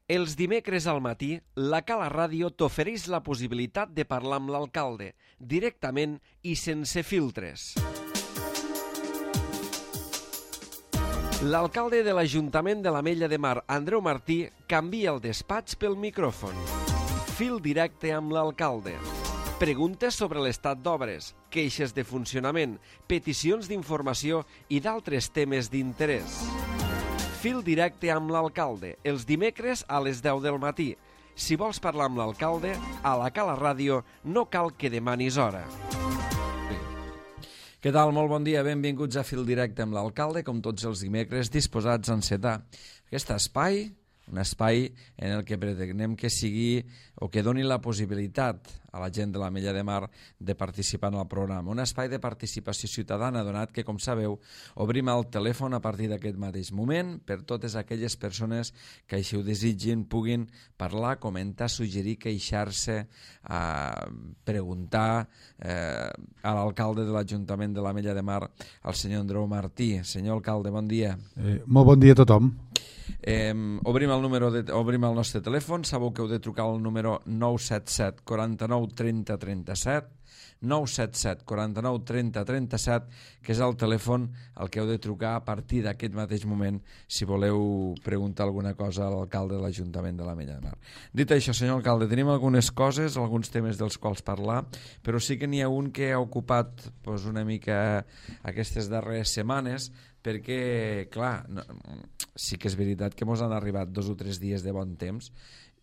Els dimecres al matí, la Cala Ràdio t'ofereix la possibilitat de parlar amb l'alcalde, directament i sense filtres. L'alcalde de l'Ajuntament de l'Ametlla de Mar, Andreu Martí, canvia el despatx pel micròfon. Fil directe amb l'alcalde. Preguntes sobre l'estat d'obres, queixes de funcionament, peticions d'informació i d'altres temes d'interès. Fil directe amb l'alcalde, els dimecres a les 10 del matí. Si vols parlar amb l'alcalde, a la Cala Ràdio no cal que demanis hora. Què tal? Molt bon dia, benvinguts a Fil Directe amb l'alcalde, com tots els dimecres, disposats a encetar aquest espai, un espai en el que pretenem que sigui o que doni la possibilitat a la gent de l'Ametlla de Mar de participar en el programa. Un espai de participació ciutadana, donat que, com sabeu, obrim el telèfon a partir d'aquest mateix moment per totes aquelles persones que així ho desitgin, puguin parlar, comentar, suggerir, queixar-se, preguntar a l'alcalde de l'Ajuntament de l'Ametlla de Mar, el senyor Andreu Martí. Senyor alcalde, bon dia. Molt bon dia a tothom. Obrim el nostre telèfon. Sabeu que heu de trucar al número 977 49 30 37, 977 49 30 37, que és el telèfon al que heu de trucar a partir d'aquest mateix moment si voleu preguntar alguna cosa a l'alcalde de l'Ajuntament de l'Ametlla de Mar. Dit això, senyor alcalde, tenim algunes coses, alguns temes dels quals parlar, però sí que n'hi ha un que ha ocupat una mica aquestes darreres setmanes, perquè, clar, sí que és veritat que ens han arribat 2 o 3 dies de bon temps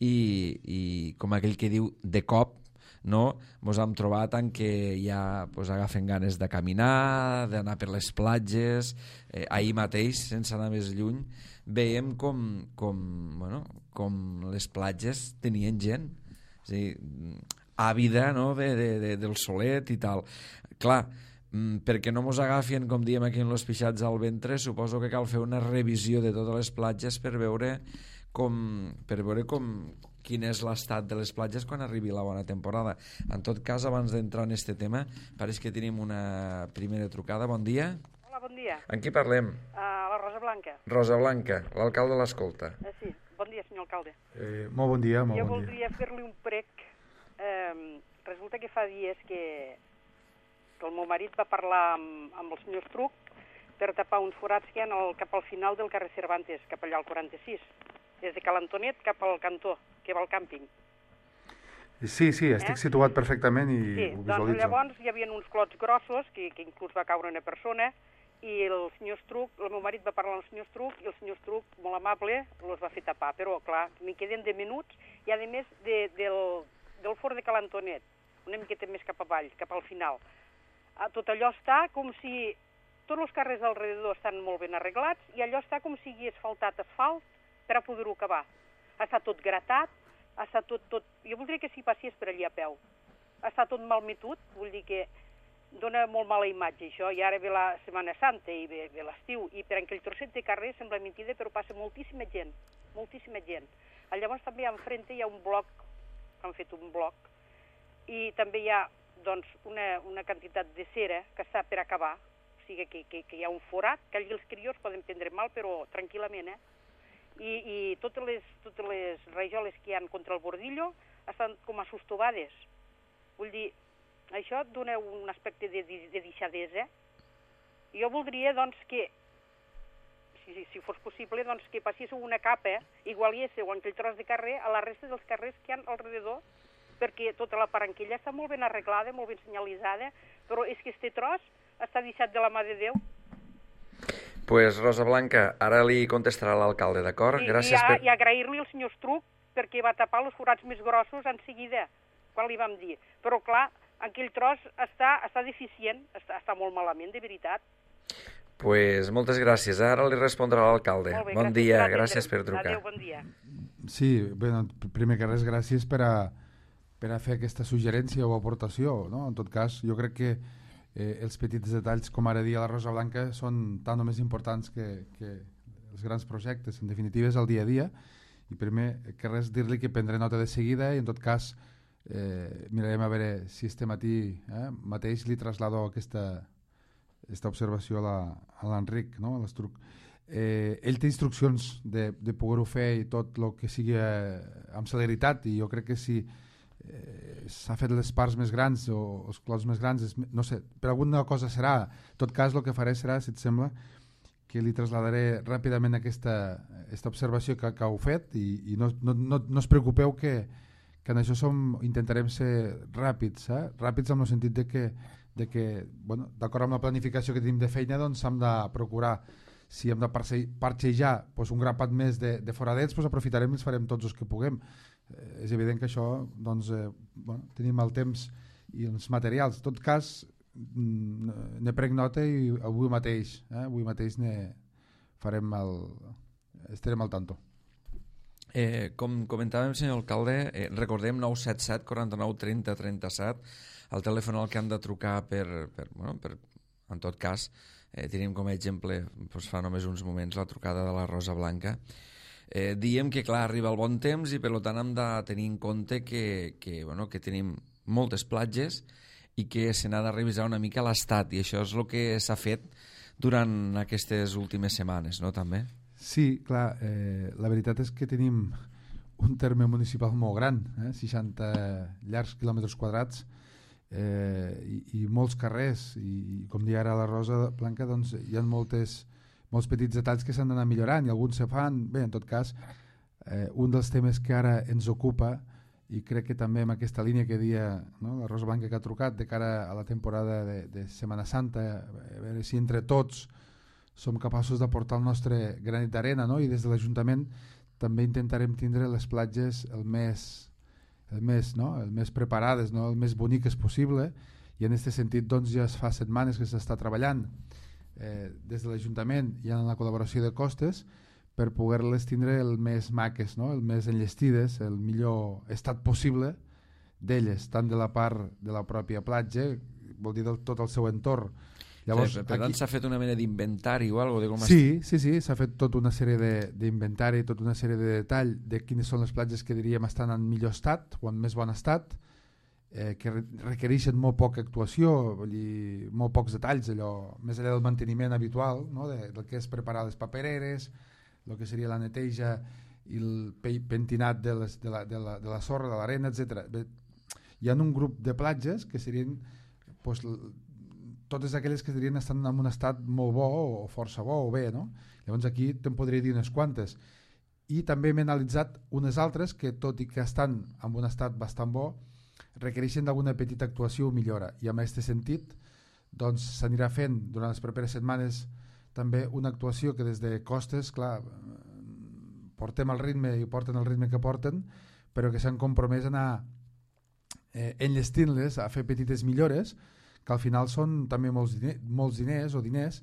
i com aquell que diu, de cop, no, ens hem trobat en què ja agafen ganes de caminar, d'anar per les platges. Ahir mateix, sense anar més lluny, veiem com les platges tenien gent, és a dir, àvida, no, del solet i tal. Clar, perquè no mos agafien, com diem aquí en los pixats al ventre, suposo que cal fer una revisió de totes les platges per veure quin és l'estat de les platges quan arribi la bona temporada. En tot cas, abans d'entrar en aquest tema, pareix que tenim una primera trucada. Bon dia. Hola, bon dia. En qui parlem? La Rosa Blanca. Rosa Blanca, l'alcalde l'escolta. Sí, bon dia, senyor alcalde. Molt bon dia. Jo voldria fer-li un prec. Resulta que fa dies que el meu marit va parlar amb el senyor Estruc per tapar uns forats que hi ha cap al final del carrer Cervantes, cap allà al 46, des de Cal Antonet cap al cantó, que va al càmping. Sí, estic situat perfectament i ho visualitzo. Doncs llavors hi havia uns clots grossos, que inclús va caure una persona, i el senyor Estruc, el meu marit va parlar amb el senyor Estruc, i el senyor Estruc, molt amable, els va fer tapar. Però, clar, m'hi queden de minuts, i a més del fort de Cal Antonet, una miqueta més cap avall, cap al final. Tot allò està com si tots els carrers alrededor estan molt ben arreglats i allò està com si hagués faltat asfalt per a poder-ho acabar. Està tot gratat, està tot... Jo voldria que s'hi passés per allà a peu. Està tot malmetut, vull dir que dona molt mala imatge això, i ara ve la Setmana Santa i ve l'estiu, i per aquell trosset de carrer sembla mentida, però passa moltíssima gent, moltíssima gent. Llavors també enfrente hi ha un bloc, han fet un bloc, i també hi ha doncs una quantitat de cera que està per acabar, o sigui que hi ha un forat, que allí els crios poden prendre mal, però tranquil·lament, I totes les rajoles que hi ha contra el bordillo estan com a sostovades. Vull dir, això dona un aspecte de deixadesa. Jo voldria, doncs, que, si fos possible, doncs, que passéssiu una capa, igualiéssiu en aquell tros de carrer a la resta dels carrers que hi ha alrededor, perquè tota la paranquilla està molt ben arreglada, molt ben senyalitzada, però és que este tros està deixat de la mà de Déu. Pues Rosa Blanca, ara li contestarà l'alcalde, d'acord? Gràcies i agrair-li al senyor Estruc perquè va tapar els forats més grossos en seguida, quan li vam dir. Però clar, aquell tros està deficient, està molt malament, de veritat. Pues moltes gràcies, ara li respondrà l'alcalde. Bon dia, gràcies per trucar. Adéu, bon dia. Sí, bé, primer que res, gràcies per a fer aquesta suggerència o aportació, no? En tot cas, jo crec que els petits detalls, com ara dia la Rosa Blanca, són tan o més importants que els grans projectes. En definitiva, és el dia a dia, i primer que res dir-li que prendré nota de seguida, i en tot cas mirarem a veure si este matí mateix li traslado aquesta observació a l'Enric, no? A l'Estruc. ell té instruccions de poder-ho fer i tot el que sigui amb celeritat, i jo crec que si s'ha fet les parts més grans o els clots més grans, no sé, per alguna cosa serà. En tot cas, el que faré serà, si et sembla, que li traslladaré ràpidament aquesta observació que heu fet, i no es preocupeu que en això intentarem ser ràpids, ràpids en el sentit de que bueno, d'acord amb la planificació que tenim de feina, doncs hem de procurar, si hem de parxejar doncs un grapat més de foradets, doncs aprofitarem i els farem tots els que puguem. És evident que això, doncs, bueno, tenim el temps i els materials. En tot cas, ne prenc nota i avui mateix estarem al tanto. Com comentàvem, senyor alcalde, recordem 977 49 30 37, el telèfon al que han de trucar en tot cas, tenim com a exemple, doncs fa només uns moments, la trucada de la Rosa Blanca. Diem que, clar, arriba el bon temps i per tant hem de tenir en compte que tenim moltes platges i que se n'ha de revisar una mica l'estat, i això és el que s'ha fet durant aquestes últimes setmanes, no, també? Sí, clar, la veritat és que tenim un terme municipal molt gran, 60 llargs quilòmetres quadrats, i molts carrers, i com deia ara la Rosa Blanca, doncs hi ha molts petits detalls que s'han d'anar millorant i alguns se fan. Bé, en tot cas, un dels temes que ara ens ocupa, i crec que també amb aquesta línia que deia, no, la Rosa Blanca que ha trucat de cara a la temporada de Setmana Santa, a veure si entre tots som capaços d'aportar el nostre granet d'arena, no? I des de l'Ajuntament també intentarem tindre les platges el més preparades, no? El més boniques possible, i en aquest sentit doncs, ja es fa setmanes que s'està treballant des de l'Ajuntament i en la col·laboració de Costes per poder-les tindre el més maques, no? El més enllestides, el millor estat possible d'elles, tant de la part de la pròpia platja, vol dir tot el seu entorn. Llavors, per tant, s'ha fet una mena d'inventari o alguna cosa? Sí, s'ha fet tota una sèrie d'inventari, tota una sèrie de detall de quines són les platges que diríem estan en millor estat o en més bon estat, que requereixen molt poca actuació, vull dir, molt pocs detalls, allò, més enllà del manteniment habitual, no? Del que és preparar les papereres, el que seria la neteja i el pentinat de la sorra, de l'arena, etc. Hi ha un grup de platges que serien doncs, totes aquelles que dirien estan en un estat molt bo o força bo o bé, no? Llavors aquí te'n podria dir unes quantes, i també m'he analitzat unes altres que, tot i que estan en un estat bastant bo, requereixen d'alguna petita actuació o millora, i en aquest sentit doncs s'anirà fent durant les properes setmanes també una actuació que des de Costes, clar, portem el ritme i porten el ritme que porten, però que s'han compromès a anar enllestint-les, a fer petites millores, que al final són també molts diners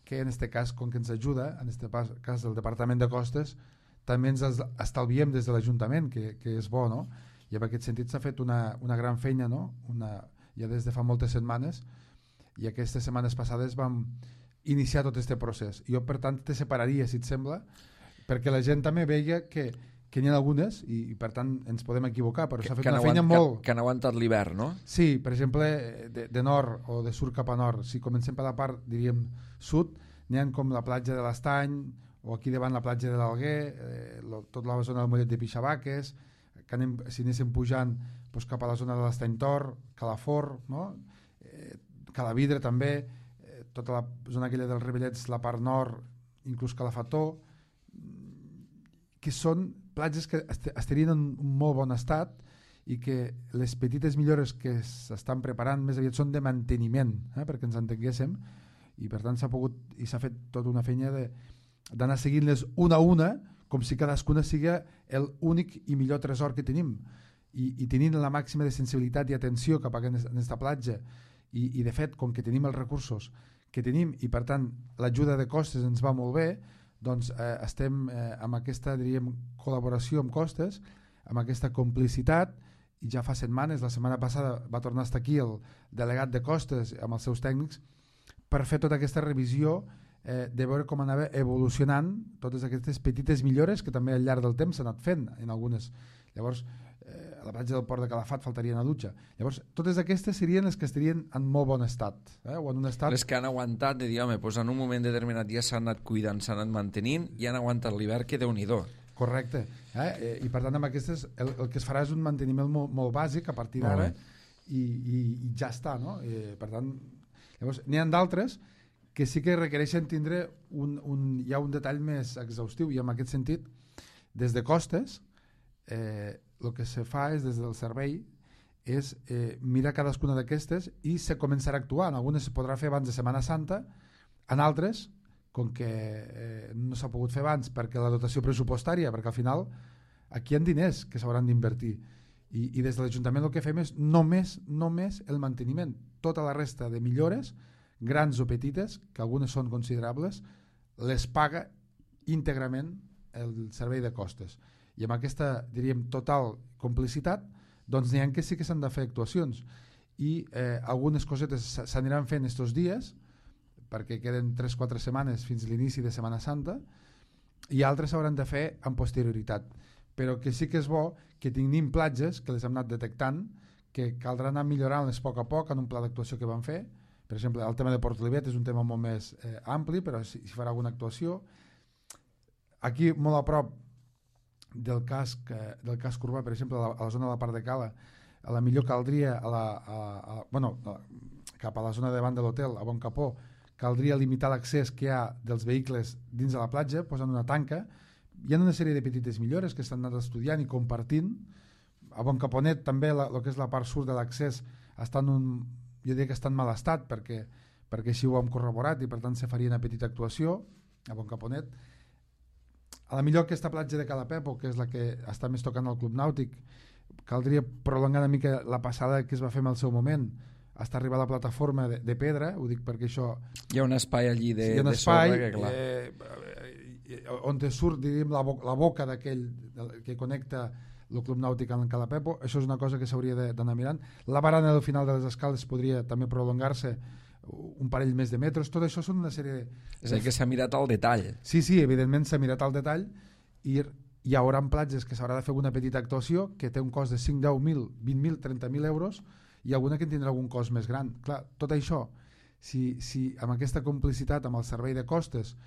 que en aquest cas, com que ens ajuda, en aquest cas del Departament de Costes, també ens estalviem des de l'Ajuntament, que és bo, no? I en aquest sentit s'ha fet una gran feina, no? Ja des de fa moltes setmanes, i aquestes setmanes passades vam iniciar tot aquest procés. Jo, per tant, te separaria, si et sembla, perquè la gent també veia que n'hi ha algunes, i per tant ens podem equivocar, però s'ha fet una feina molt... Que han aguantat l'hivern, no? Sí, per exemple, de nord o de sud cap a nord. Si comencem per la part, diríem, sud, n'hi ha com la platja de l'Estany, o aquí davant la platja de l'Alguer, tota la zona del Mollet de Pixabaques, que si anéssim pujant doncs cap a la zona de l'Estany Tor, Calafort, no? Calavidre també, tota la zona aquella dels Revellets, la part nord, inclús Calafató, que són platges que estarien en un molt bon estat i que les petites millores que s'estan preparant més aviat són de manteniment, perquè ens entenguéssim, i per tant s'ha fet tota una feina d'anar seguint-les una a una, com si cadascuna sigui l'únic i millor tresor que tenim, i tenint la màxima de sensibilitat i atenció cap a aquesta platja, i de fet, com que tenim els recursos que tenim, i per tant l'ajuda de Costes ens va molt bé, doncs estem amb aquesta, diríem, col·laboració amb Costes, amb aquesta complicitat, i ja fa setmanes, la setmana passada va tornar a estar aquí el delegat de Costes amb els seus tècnics per fer tota aquesta revisió de veure com anava evolucionant totes aquestes petites millores que també al llarg del temps s'han anat fent en algunes. Llavors, a la platja del Port de Calafat faltaria una dutxa. Llavors, totes aquestes serien les que estarien en molt bon estat, o en un estat... Les que han aguantat de dir, home, doncs en un moment determinat ja s'han anat cuidant, s'han anat mantenint i han aguantat l'hivern, que Déu-n'hi-do. Correcte. I per tant amb aquestes el que es farà és un manteniment molt bàsic a partir d'ara i ja està, no? Per tant, llavors n'hi ha d'altres que sí que requereixen tindre ja un detall més exhaustiu, i en aquest sentit, des de costes, el que se fa és, des del servei, és mirar cadascuna d'aquestes i se començarà a actuar. En algunes es podrà fer abans de Setmana Santa, en altres, com que no s'ha pogut fer abans perquè la dotació pressupostària, perquè al final aquí hi ha diners que s'hauran d'invertir, i des de l'Ajuntament el que fem és només el manteniment. Tota la resta de millores, grans o petites, que algunes són considerables, les paga íntegrament el servei de costes. I amb aquesta, diríem, total complicitat, doncs n'hi ha que sí que s'han de fer actuacions, i algunes cosetes s'aniran fent estos dies, perquè queden 3-4 setmanes fins a l'inici de Setmana Santa, i altres s'hauran de fer amb posterioritat. Però que sí que és bo que tinguin platges, que les hem anat detectant, que caldrà anar millorant-les a poc en un pla d'actuació que van fer. Per exemple, el tema de Port Olivet és un tema molt més ampli, però si farà alguna actuació. Aquí, molt a prop del casc urbà, per exemple, a la zona de la Part de Cala, a la millor caldria cap a la zona davant de l'hotel, a Bon Capó, caldria limitar l'accés que hi ha dels vehicles dins de la platja, posant una tanca. Hi ha una sèrie de petites millores que s'han anat estudiant i compartint. A Bon Caponet també el que és la part sud de l'accés està jo diria que està en mal estat, perquè així ho hem corroborat, i per tant se faria una petita actuació a Bon Caponet. A la millor aquesta platja de Cala Pepo, que és la que està més tocant al Club Nàutic, caldria prolongar una mica la passada que es va fer en el seu moment, hasta arribar a la plataforma de pedra. Ho dic perquè això... Hi ha un espai allí de espai, sorra que, clar... on surt, diríem, la boca d'aquell que connecta el Club Nàutic amb Cala Pepo. Això és una cosa que s'hauria d'anar mirant. La barana del final de les escales podria també prolongar-se un parell més de metres. Tot això són una sèrie de... És a dir, que s'ha mirat al detall. Sí, evidentment s'ha mirat al detall, i hi haurà platges que s'haurà de fer una petita actuació que té un cost de 5, 10.000, 20.000, 30.000 euros, i alguna que tindrà algun cost més gran. Clar, tot això, si amb aquesta complicitat amb el servei de costes,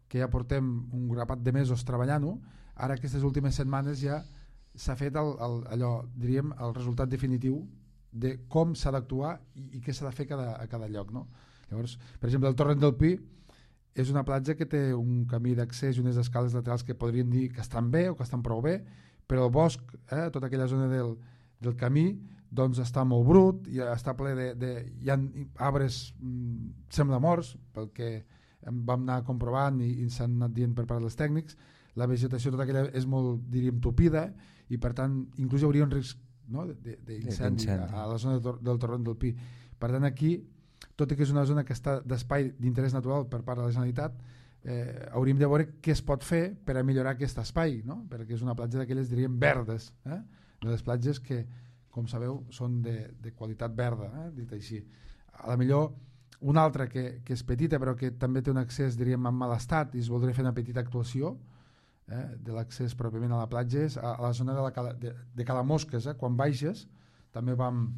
que ja portem un grapat de mesos treballant-ho, ara aquestes últimes setmanes ja s'ha fet allò, diríem, el resultat definitiu de com s'ha d'actuar i què s'ha de fer a cada lloc, no? Llavors, per exemple, el Torrent del Pi és una platja que té un camí d'accés i unes escales laterals que podríem dir que estan bé o que estan prou bé, però el bosc, tota aquella zona del camí, doncs està molt brut, i està ple hi ha arbres sembla morts, pel que vam anar comprovant i s'han anat dient per part dels tècnics. La vegetació tota aquella és molt, diríem, tupida, i per tant inclús hi hauria un risc, no, d'incendi a la zona del Torrent del Pi. Per tant, aquí, tot i que és una zona que està d'espai d'interès natural per part de la Generalitat, hauríem de veure què es pot fer per a millorar aquest espai, no? Perquè és una platja d'aquelles, diríem, verdes, de les platges que, com sabeu, són de qualitat verda, dit així. A la millor una altra que és petita però que també té un accés, diríem, en mal estat, i es voldria fer una petita actuació de l'accés pròpiament a la platja, és a la zona de Cala Mosques. Quan baixes també vam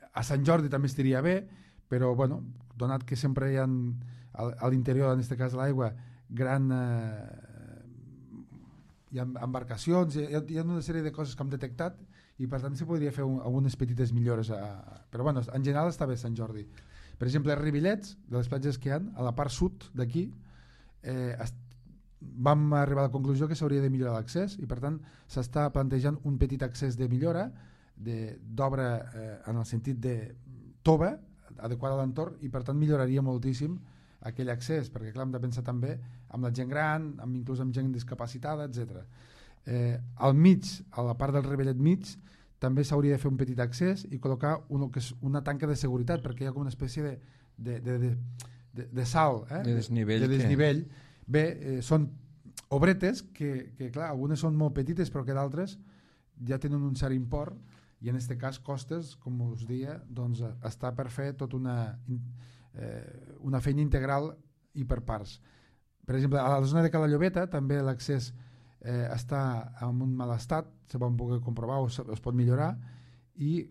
a Sant Jordi, també estaria bé, però bueno, donat que sempre hi ha a l'interior, en aquest cas de l'aigua, hi ha embarcacions, hi ha una sèrie de coses que hem detectat, i per tant s'hi podria fer algunes petites millores, però bueno, en general està bé Sant Jordi. Per exemple, els Rivillets, de les platges que hi ha a la part sud d'aquí, vam arribar a la conclusió que s'hauria de millorar l'accés, i per tant s'està plantejant un petit accés de millora d'obra en el sentit de tova adequada a l'entorn, i per tant milloraria moltíssim aquell accés, perquè clar, hem de pensar també amb la gent gran, inclús amb gent discapacitada, etc. Al mig, a la part del Rivellet mig, també s'hauria de fer un petit accés i col·locar una tanca de seguretat, perquè hi ha com una espècie de salt, de desnivell. Bé, són obretes que clar, algunes són molt petites però que d'altres ja tenen un cert import, i en aquest cas costes, com us deia, doncs està per fer tota una feina integral i per parts. Per exemple, a la zona de Cala Llobeta també l'accés està en un mal estat, se van poder comprovar o es pot millorar, i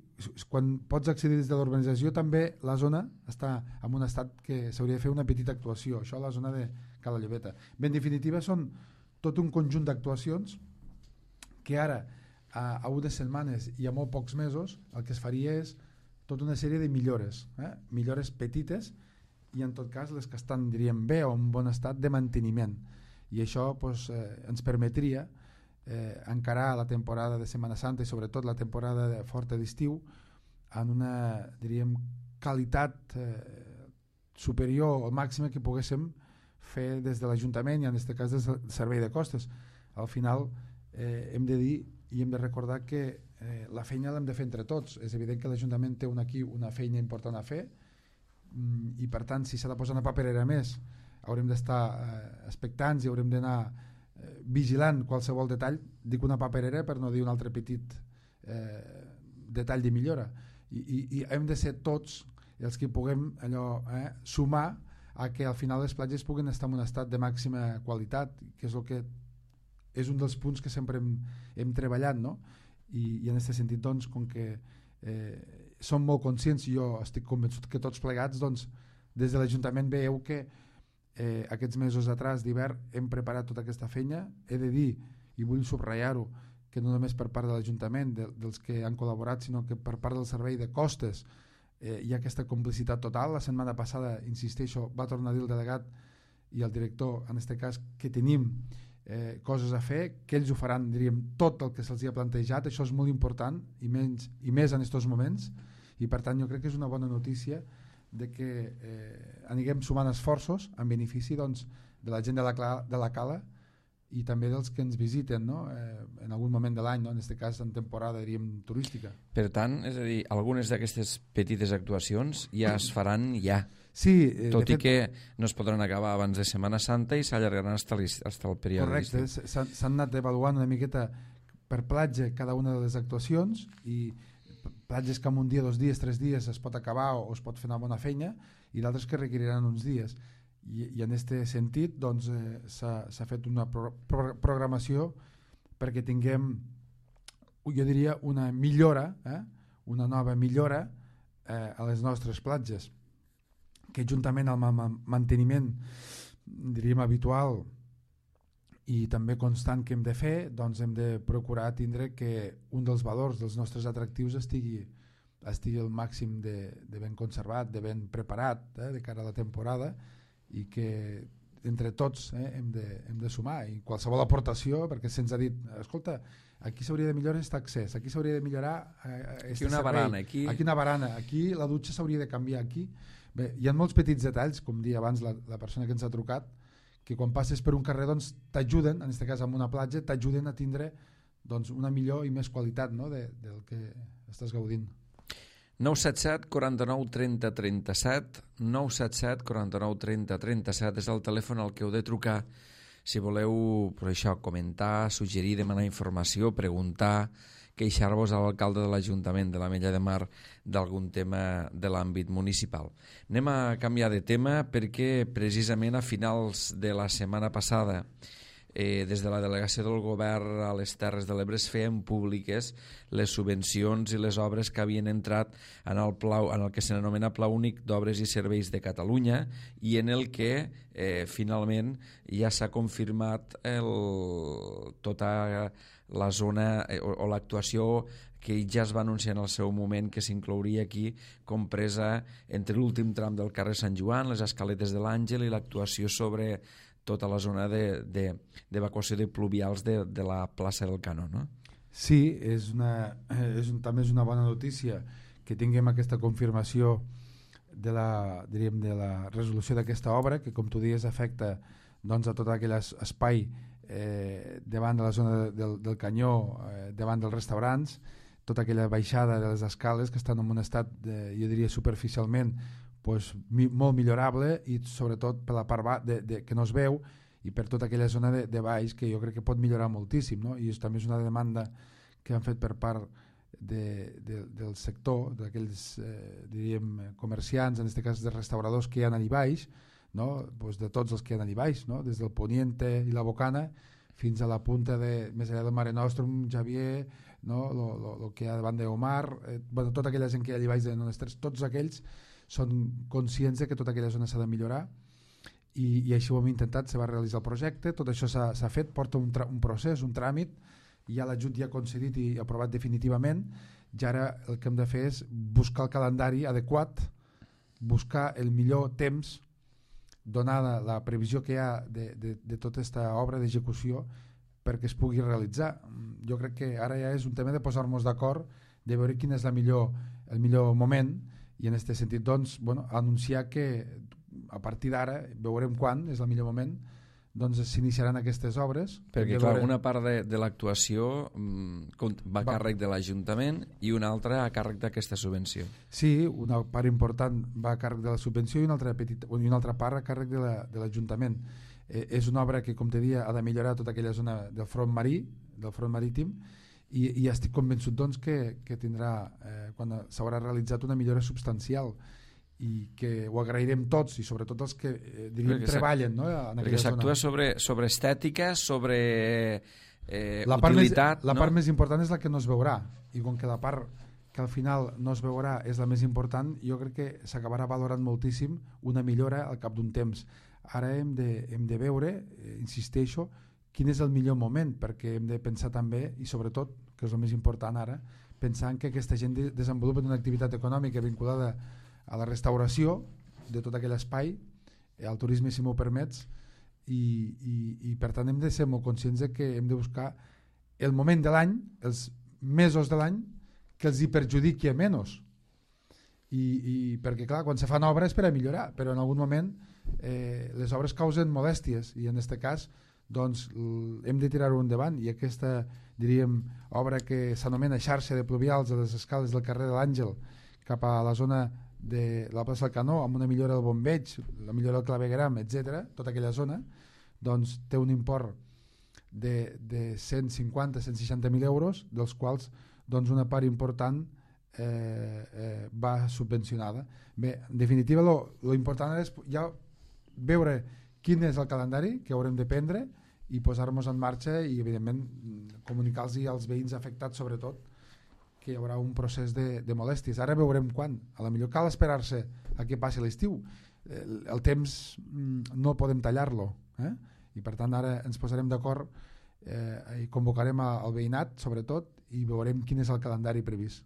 quan pots accedir des de l'urbanització també la zona està en un estat que s'hauria de fer una petita actuació, això a la zona de Cala Llobeta. Bé, en definitiva són tot un conjunt d'actuacions que ara a 1 de setmanes i a molt pocs mesos el que es faria és tota una sèrie de millores, millores petites i en tot cas les que estan, diríem, bé o en bon estat de manteniment, i això ens permetria encarar la temporada de Setmana Santa i sobretot la temporada forta d'estiu en una, diríem, qualitat superior o màxima que poguéssim fer des de l'Ajuntament i en aquest cas des del Servei de Costes. Al final hem de dir i hem de recordar que la feina l'hem de fer entre tots. És evident que l'Ajuntament té aquí una feina important a fer i per tant si s'ha de posar una paperera més haurem d'estar expectants i haurem d'anar vigilant qualsevol detall, dic una paperera per no dir un altre petit detall de millora, i hem de ser tots els que puguem sumar a que al final les platges puguin estar en un estat de màxima qualitat, que és el que és un dels punts que sempre hem treballat, no? I en aquest sentit, doncs, com que som molt conscients i jo estic convençut que tots plegats, doncs, des de l'Ajuntament veieu que aquests mesos atrás d'hivern hem preparat tota aquesta feina. He de dir, i vull subratllar-ho, que no només per part de l'Ajuntament, dels que han col·laborat, sinó que per part del Servei de Costes hi ha aquesta complicitat total. La setmana passada, insisteixo, va tornar a dir el delegat i el director, en aquest cas, que tenim coses a fer, que ells ho faran, diríem, tot el que se'ls ha plantejat. Això és molt important i més en aquests moments, i per tant jo crec que és una bona notícia de que anirem sumant esforços en benefici, doncs, de la gent de la Cala i també dels que ens visiten, no? En algun moment de l'any, no? En aquest cas en temporada, diríem, turística. Per tant, és a dir, algunes d'aquestes petites actuacions ja es faran ja. Sí, tot i que no es podran acabar abans de Setmana Santa i s'allargaran fins al període d'estiu. Correcte, s'han anat avaluant una miqueta per platja cada una de les actuacions, i platges que en un dia, 2 dies, 3 dies es pot acabar o es pot fer una bona feina, i d'altres que requeriran uns dies. I en aquest sentit, doncs, s'ha fet una programació perquè tinguem, jo diria, una millora, una nova millora a les nostres platges, que juntament amb el manteniment, diríem, habitual i també constant que hem de fer, doncs hem de procurar tindre que un dels valors dels nostres atractius estigui al màxim de ben conservat, de ben preparat de cara a la temporada, i que entre tots hem de sumar, i qualsevol aportació, perquè se'ns ha dit, escolta, aquí s'hauria de millorar aquest accés, aquí s'hauria de millorar aquí una barana, aquí una barana, aquí la dutxa s'hauria de canviar, aquí. Bé, hi ha molts petits detalls, com dia abans la persona que ens ha trucat, que quan passes per un carrer, doncs, t'ajuden, en aquest cas amb una platja, t'ajuden a tindre, doncs, una millor i més qualitat, no?, del que estàs gaudint. 977 49 30 37, 977 49 30 37 és el telèfon al que heu de trucar si voleu, per això, comentar, suggerir, demanar informació, preguntar, queixar-vos a l'alcalde de l'Ajuntament de l'Ametlla de Mar d'algun tema de l'àmbit municipal. Anem a canviar de tema perquè precisament a finals de la setmana passada des de la delegació del govern a les Terres de l'Ebre es feien públiques les subvencions i les obres que havien entrat en el que s'anomena Pla Únic d'Obres i Serveis de Catalunya, i en el que finalment ja s'ha confirmat tota la zona o l'actuació que ja es va anunciar en el seu moment, que s'inclouria aquí, compresa entre l'últim tram del carrer Sant Joan, les escaletes de l'Àngel i l'actuació sobre tota la zona d'evacuació de pluvials de la plaça del Canó, no? Sí, també és una bona notícia que tinguem aquesta confirmació de la resolució d'aquesta obra, que, com tu dius, afecta, doncs, a tot aquell espai davant de la zona del Canyó, davant dels restaurants, tota aquella baixada de les escales que estan en un estat, jo diria, superficialment molt millorable, i sobretot per la part que no es veu, i per tota aquella zona de baix que jo crec que pot millorar moltíssim, no? I també és una demanda que han fet per part del sector, d'aquells diríem comerciants, en aquest cas de restauradors que hi ha allà baix, no? Pues de tots els que hi ha allà baix, no? Des del Poniente i la Bocana fins a la punta de més enllà del Mare Nostrum, Javier, no? Lo que hi ha davant d'Omar, bueno, tota aquella gent que hi ha allà baix de Nonestrès, tots aquells són conscients de que tota aquella zona s'ha de millorar i així ho hem intentat, se va realitzar el projecte, tot això s'ha fet, porta un procés, un tràmit, ja l'ajut ja concedit i aprovat definitivament, i ara el que hem de fer és buscar el calendari adequat, buscar el millor temps, donada la previsió que hi ha de tota aquesta obra d'execució perquè es pugui realitzar. Jo crec que ara ja és un tema de posar-nos d'acord, de veure quin és el millor moment, i en aquest sentit doncs, bueno, anunciar que a partir d'ara, veurem quan és el millor moment, doncs s'iniciaran aquestes obres. Perquè clar, una part de l'actuació va a càrrec de l'Ajuntament i una altra a càrrec d'aquesta subvenció. Sí, una part important va a càrrec de la subvenció i una altra part a càrrec de l'Ajuntament. És una obra que, com te dia, ha de millorar tota aquella zona del front marítim, i estic convençut doncs, que tindrà, quan s'haurà realitzat, una millora substancial, i que ho agrairem tots i sobretot els que treballen, no, en perquè s'actua sobre estètica, sobre utilitat. La part més important és la que no es veurà, i com que la part que al final no es veurà és la més important, jo crec que s'acabarà valorant moltíssim una millora al cap d'un temps. Ara hem de veure, insisteixo, quin és el millor moment, perquè hem de pensar també, i sobretot, que és el més important ara, pensar que aquesta gent desenvolupa una activitat econòmica vinculada a la restauració de tot aquell espai, al turisme, si m'ho permets, i per tant hem de ser molt conscients de que hem de buscar el moment de l'any, els mesos de l'any que els hi perjudiqui a menys, i perquè clar, quan se fan obres per a millorar, però en algun moment les obres causen molèsties, i en aquest cas doncs hem de tirar-ho endavant, i aquesta, diríem, obra que s'anomena xarxa de pluvials de les escales del carrer de l'Àngel cap a la zona de la plaça del Canó, amb una millora del bombeig, la millora del clavegueram, etc., tota aquella zona, doncs té un import de 150-160.000 euros, dels quals doncs una part important va subvencionada. Bé, en definitiva, lo important és ja veure quin és el calendari que haurem de prendre i posar-nos en marxa i, evidentment, comunicar-los als veïns afectats, sobretot, que hi haurà un procés de molèsties. Ara veurem quan. A la millor cal esperar-se a que passi l'estiu. El temps no podem tallar-lo, i per tant ara ens posarem d'acord i convocarem el veïnat, sobretot, i veurem quin és el calendari previst.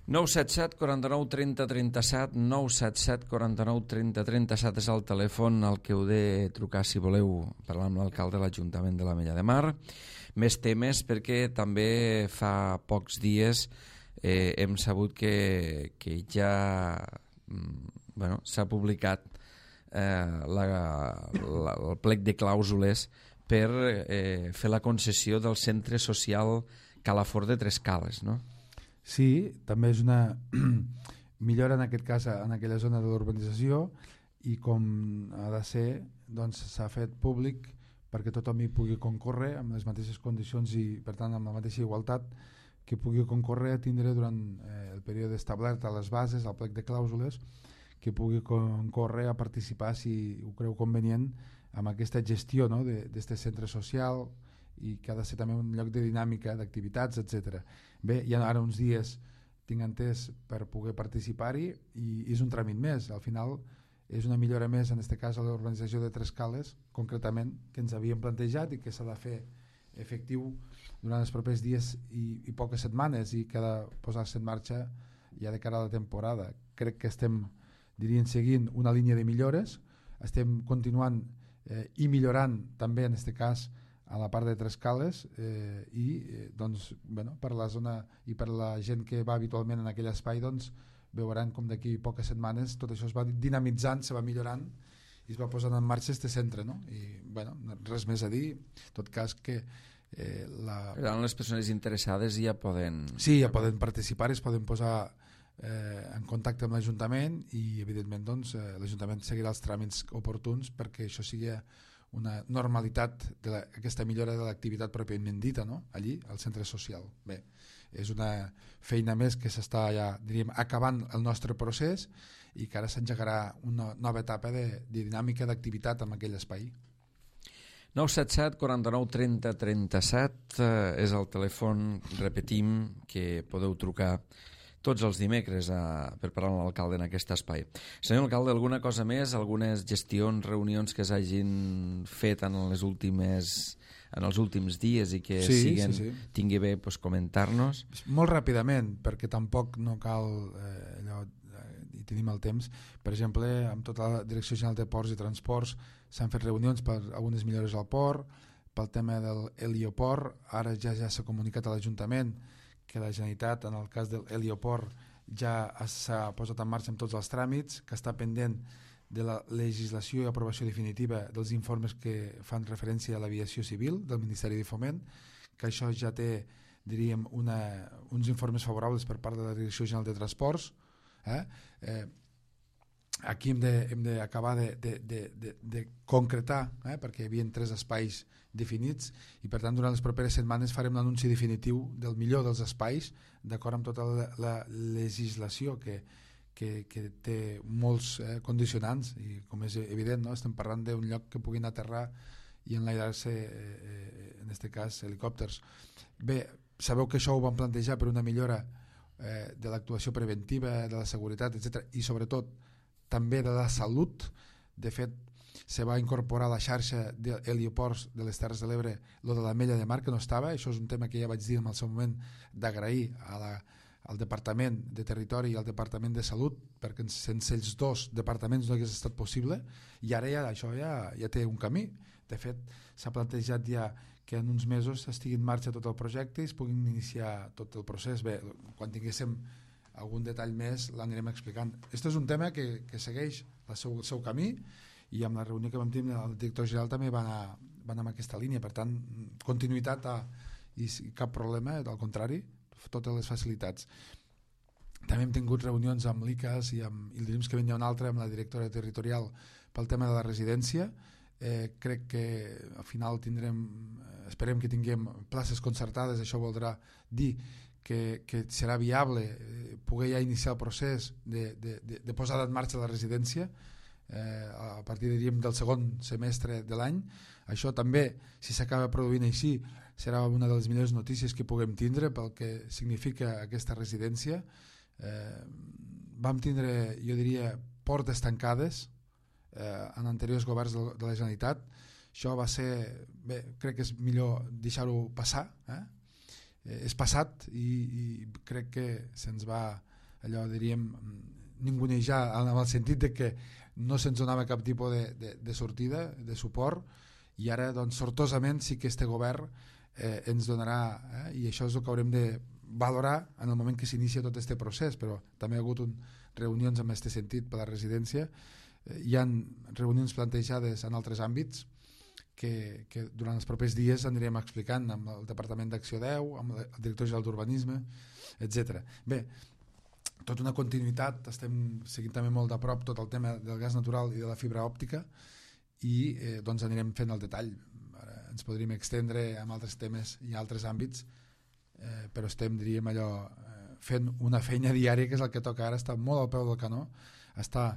977 49 30 37, 977 49 30 37 és el telèfon al que heu de trucar si voleu parlar amb l'alcalde de l'Ajuntament de l'Ametlla de Mar. Més temes, perquè també fa pocs dies hem sabut que ja s'ha publicat el plec de clàusules per fer la concessió del centre social Calafort de Trescales, no? Sí, també és una millora en aquest cas en aquella zona de l'urbanització, i com ha de ser, doncs s'ha fet públic perquè tothom hi pugui concórrer amb les mateixes condicions i per tant amb la mateixa igualtat, que pugui concórrer a tindre durant el període establert a les bases, al plec de clàusules, que pugui concórrer a participar, si ho creu convenient, amb aquesta gestió, no, d'aquest centre social, i que ha de ser també un lloc de dinàmica, d'activitats, etc. Bé, hi ha ara uns dies, tinc entès, per poder participar-hi, i és un tràmit més. Al final és una millora més, en aquest cas a l'urbanització de Trescales, concretament, que ens havíem plantejat i que s'ha de fer efectiu durant els propers dies i poques setmanes, i que ha de posar-se en marxa ja de cara a la temporada. Crec que estem, diríem, seguint una línia de millores, estem continuant i millorant també, en aquest cas, a la part de Trescales, doncs, bueno, per la zona i per la gent que va habitualment en aquell espai, doncs, veuran com d'aquí poques setmanes tot això es va dinamitzant, se va millorant i es va posant en marxa este centre, no? I, bueno, res més a dir, en tot cas que les persones interessades ja poden... Sí, ja poden participar, es poden posar en contacte amb l'Ajuntament, i evidentment doncs, l'Ajuntament seguirà els tràmits oportuns perquè això sigui una normalitat d'aquesta millora de l'activitat pròpiament dita, no? Allí, al centre social. Bé, és una feina més que s'està ja, diríem, acabant el nostre procés, i que ara s'engegarà una nova etapa de dinàmica d'activitat en aquell espai. 977 49 30 37 és el telèfon, repetim, que podeu trucar tots els dimecres per parlar amb l'alcalde en aquest espai. Senyor alcalde, alguna cosa més? Algunes gestions, reunions que s'hagin fet en els últims dies i que tingui bé comentar-nos? Molt ràpidament, perquè tampoc no cal i tenim el temps. Per exemple, amb tota la Direcció General de Ports i Transports s'han fet reunions per algunes millores al port, pel tema del helioport. Ara ja s'ha comunicat a l'Ajuntament que la Generalitat, en el cas del helioport, ja s'ha posat en marxa amb tots els tràmits, que està pendent de la legislació i aprovació definitiva dels informes que fan referència a l'aviació civil del Ministeri de Foment, que això ja té, diríem, uns informes favorables per part de la Direcció General de Transports. Aquí hem d'acabar de concretar, perquè hi havia 3 espais definits i per tant durant les properes setmanes farem l'anunci definitiu del millor dels espais d'acord amb tota la legislació que té molts condicionants i com és evident, no? Estem parlant d'un lloc que puguin aterrar i enlairar-se en aquest cas helicòpters. Bé, sabeu que això ho vam plantejar per una millora de l'actuació preventiva, de la seguretat, etc. i sobretot també de la salut. De fet, se va incorporar a la xarxa d'helioports de les Terres de l'Ebre lo de l'Ametlla de Mar, que no estava. Això és un tema que ja vaig dir en el seu moment d'agrair al Departament de Territori i al Departament de Salut, perquè sense els 2 departaments no hagués estat possible, i ara això ja té un camí. De fet, s'ha plantejat ja que en uns mesos estigui en marxa tot el projecte i es puguin iniciar tot el procés. Bé, quan tinguéssim algun detall més l'anirem explicant. Aquest és un tema que segueix el seu camí i amb la reunió que vam tenir el director general també va anar en aquesta línia. Per tant, continuïtat i cap problema, al contrari, totes les facilitats. També hem tingut reunions amb l'ICAS i el dilluns que venia una altra amb la directora territorial pel tema de la residència. Crec que al final esperem que tinguem places concertades. Això voldrà dir que serà viable poder ja iniciar el procés de posada en marxa la residència a partir del segon semestre de l'any. Això també, si s'acaba produint així, serà una de les millors notícies que puguem tindre pel que significa aquesta residència. Vam tindre, jo diria, portes tancades en anteriors governs de la Generalitat. Això va ser, bé, crec que és millor deixar-ho passar, és passat i crec que se'ns va, allò diríem, ningunejar en el sentit de que no se'ns donava cap tipus de sortida, de suport, i ara doncs sortosament sí que este govern ens donarà, i això és el que haurem de valorar en el moment que s'inicia tot aquest procés. Però també hi ha hagut reunions en aquest sentit per la residència. Hi ha reunions plantejades en altres àmbits que durant els propers dies anirem explicant amb el Departament d'Acció 10, amb el director general d'Urbanisme, etc. Bé, tota una continuïtat, estem seguint també molt de prop tot el tema del gas natural i de la fibra òptica i doncs anirem fent el detall. Ara ens podríem extendre amb altres temes i altres àmbits, però estem, diríem allò, fent una feina diària que és el que toca ara, estar molt al peu del canó, estar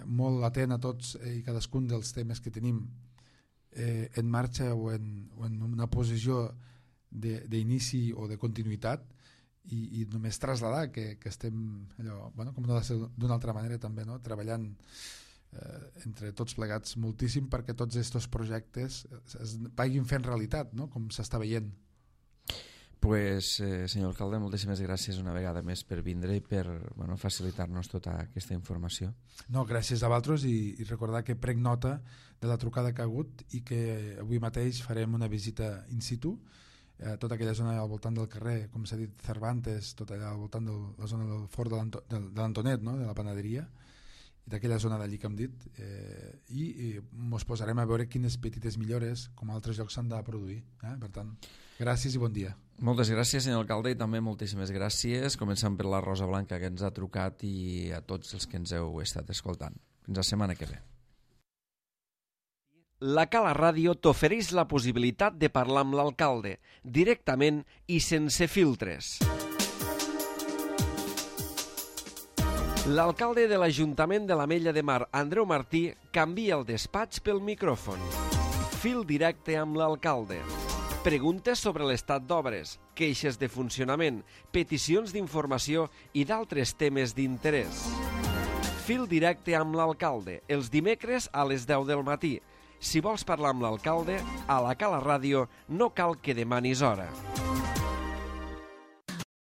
molt atent a tots i cadascun dels temes que tenim en marxa o en una posició d'inici o de continuïtat i només traslladar que estem allò, com no ha de ser d'una altra manera també, no? Treballant entre tots plegats moltíssim perquè tots aquests projectes es vagin fent realitat, no? Com s'està veient. Pues, senyor alcalde, moltíssimes gràcies una vegada més per vindre i per facilitar-nos tota aquesta informació. No, gràcies a vosaltres i recordar que prenc nota de la trucada que ha hagut i que avui mateix farem una visita in situ a tota aquella zona al voltant del carrer, com s'ha dit, Cervantes, tot allà al voltant de la zona del fort de l'Antonet, no? De la panaderia, i d'aquella zona d'allí que hem dit, i ens posarem a veure quines petites millores com a altres llocs s'han de produir. Per tant, gràcies i bon dia. Moltes gràcies, senyor alcalde, i també moltíssimes gràcies, començant per la Rosa Blanca que ens ha trucat i a tots els que ens heu estat escoltant. Fins la setmana que ve. La Cala Ràdio t'ofereix la possibilitat de parlar amb l'alcalde, directament i sense filtres. L'alcalde de l'Ajuntament de l'Ametlla de Mar, Andreu Martí, canvia el despatx pel micròfon. Fil directe amb l'alcalde. Preguntes sobre l'estat d'obres, queixes de funcionament, peticions d'informació i d'altres temes d'interès. Fil directe amb l'alcalde, els dimecres a les 10 del matí. Si vols parlar amb l'alcalde, a la Cala Ràdio no cal que demanis hora.